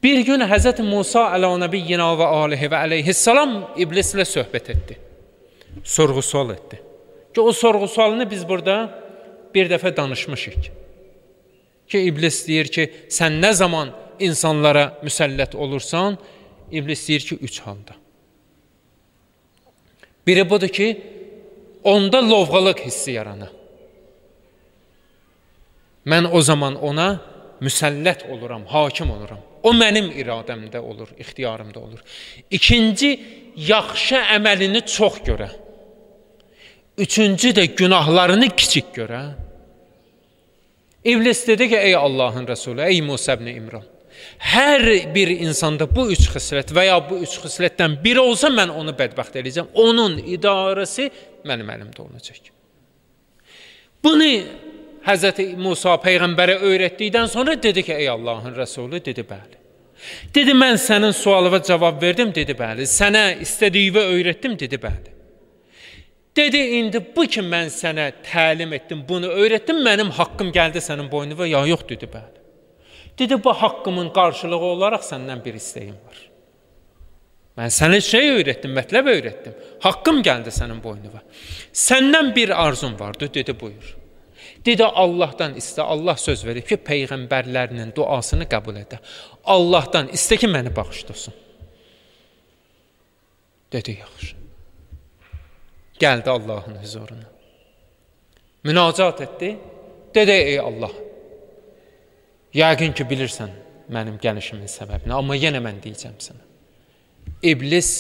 Bir gün Həzrət Musa ələ nəbiyyina və alihi və əleyhissalam iblislə söhbət etdi. Sorğu-sual etdi. Ki o sorğu-sualını biz burada bir dəfə danışmışıq. Ki iblis deyir ki, sən nə zaman insanlara müsəllət olursan, iblis deyir ki, 3 halda. Biri budur ki, onda lovğalıq hissi yaranır. Mən o zaman ona müsəllət oluram, hakim oluram. O mənim iradəmdə olur, ixtiyarımda olur. İkinci, yaxşı əməlini çox görə. Üçüncü də günahlarını kiçik görə. İblis dedi ki, ey Allahın Rəsulü, ey Musa ibn İmran, hər bir insanda bu 3 xislət və ya bu 3 xislətdən biri olsa, mən onu bədbəxt edəcəm. Onun idarəsi mənim əlimdə olacaq. Bunu Həzrəti Musa Peyğəmbərə öyrətdikdən sonra dedi ki, ey Allahın Rəsulü, dedi, bəli. Dedi, mən sənin sualıva cavab verdim, dedi, bəli. Sənə istədiyini öyrətdim, dedi, bəli. Dedi, indi bu ki, mən sənə təlim etdim, bunu öyrətdim, mənim haqqım gəldi sənin boynuna, ya yox, dedi, bəli. Dedi, bu haqqımın qarşılığı olaraq səndən bir istəyim var. Mən sənə şey öyrətdim, mətləb öyrətdim. Haqqım gəldi sənin boynuna. Səndən bir arzum vardı, dedi, buyur. Dedi, Allahdan istə, Allah söz verib ki, Peyğəmbərlərinin duasını qəbul edə. Allahdan istə ki, məni bağışlasın. Dedi, yaxşı. Gəldi Allahın huzuruna. Münacat etdi. Dedi, ey Allah, yəqin ki, bilirsən mənim gəlişimin səbəbini, amma yenə mən deyəcəm sənə. İblis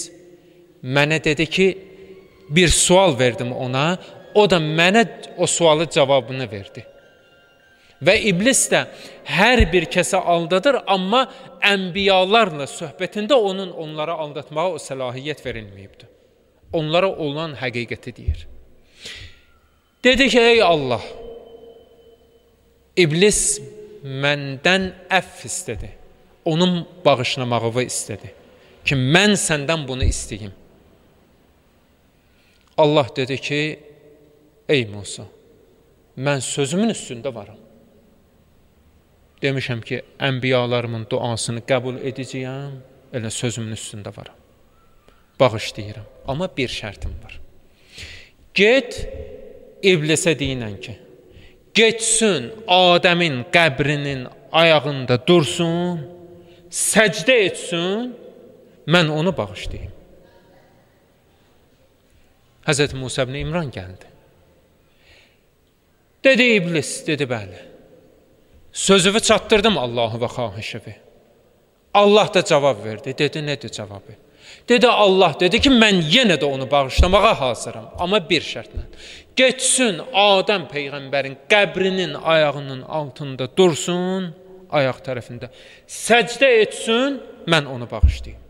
mənə dedi ki, bir sual verdim ona, o da mənə o sualı cavabını verdi. Və iblis də hər bir kəsə aldadır, amma ənbiyalarla söhbətində onlara aldatmağa o səlahiyyət verilməyibdir. Onlara olan həqiqəti deyir. Dedi ki, ey Allah, iblis məndən əff istədi. Onun bağışlamağını istədi. Ki, mən səndən bunu istəyim. Allah dedi ki, ey Musa, mən sözümün üstündə varam. Demişəm ki, ənbiyalarımın duasını qəbul edəcəyəm, elə sözümün üstündə varam. Bağışlayıram. Amma bir şərtim var. Get, iblisə deyinən ki, geçsin Adəmin qəbrinin ayağında dursun, səcdə etsin, mən onu bağışlayayım. Həzrət Musa ibn İmran gəldi. Dedi iblis, dedi bəli. Sözümü çatdırdım Allahı və xahişivi. Allah da cavab verdi. Dedi, nədir cavabı? Dedi, Allah dedi ki, mən yenə də onu bağışlamağa hazıram. Amma bir şərtlə. Geçsin Adəm Peyğəmbərin qəbrinin ayağının altında dursun, ayaq tərəfində. Səcdə etsin, mən onu bağışlayayım.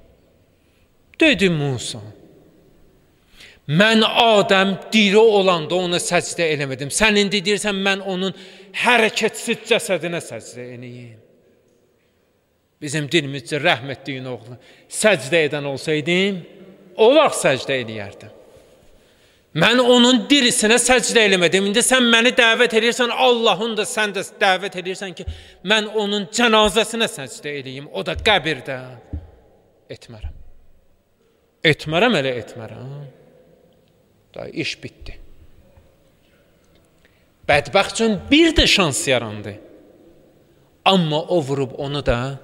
Dedi Musa, mən Adəm diri olanda ona səcdə eləmədim. Sən indi deyirsən, mən onun hərəkətsiz cəsədinə səcdə eləyim. Bizim dilimizcə rəhm etdiyin oğlu səcdə edən olsaydım, o vaxt səcdə eləyərdim. Mən onun dirisinə səcdə eləmədim. İndi sən məni dəvət edirsən, Allahın da sən də dəvət edirsən ki, mən onun cənazəsinə səcdə eləyim. O da qəbirdə. Etmərəm. Etmərəm, elə etmərəm. Da iş bitdi. Bədbəxt üçün bir də şans yarandı. Amma o vurub onu da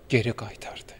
geri qaytardı.